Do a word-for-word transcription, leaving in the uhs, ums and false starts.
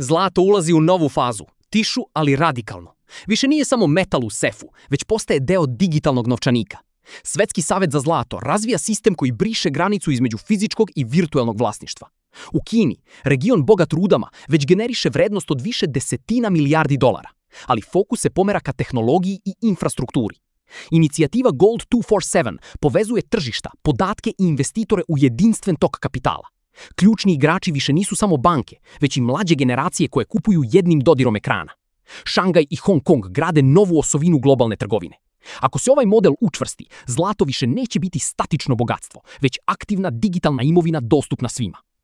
Zlato ulazi u novu fazu, tišu ali radikalno. Više nije samo metal u sefu, već postaje deo digitalnog novčanika. Svetski savet za zlato razvija sistem koji briše granicu između fizičkog i virtuelnog vlasništva. U Kini, region bogat rudama već generiše vrednost od više desetina milijardi dolara, ali fokus se pomera ka tehnologiji i infrastrukturi. Inicijativa Gold dvesta četrdeset sedam povezuje tržišta, podatke i investitore u jedinstven tok kapitala. Ključni igrači više nisu samo banke, već i mlađe generacije koje kupuju jednim dodirom ekrana. Šangaj i Hong Kong grade novu osovinu globalne trgovine. Ako se ovaj model učvrsti, zlato više neće biti statično bogatstvo, već aktivna digitalna imovina dostupna svima.